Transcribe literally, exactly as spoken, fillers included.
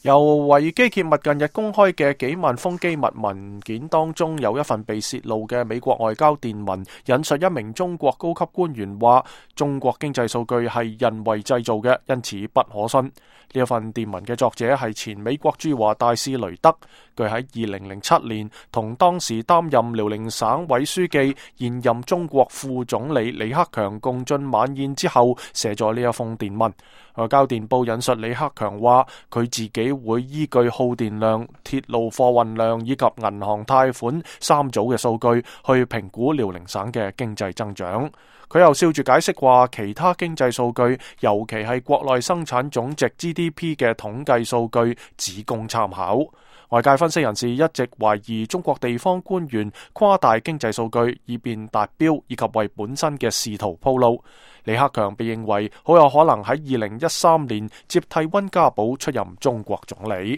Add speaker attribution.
Speaker 1: 由維基揭密近日公開嘅幾萬封機密文件當中，有一份被洩露嘅美國外交電文，引述一名中國高級官員話：中國經濟數據係人為製造嘅，因此不可信。呢一份電文嘅作者係前美國駐華大使雷德，佢喺二零零七年同當時擔任遼寧省委書記、現任中國副總理李克強共進晚宴之後，寫咗呢一封電文。外交電報引述李克強話：佢自己會依據耗電量、鐵路貨運量以及銀行貸款三組嘅數據去評估遼寧省嘅經濟增長。佢又笑住解釋話，其他經濟數據，尤其係國內生產總值 G D P 嘅統計數據，只供參考。外界分析人士一直懷疑中國地方官員誇大經濟數據以便達標，以及為本身嘅仕途鋪路。李克強被認為好有可能喺二零一三年接替溫家寶出任中國總理。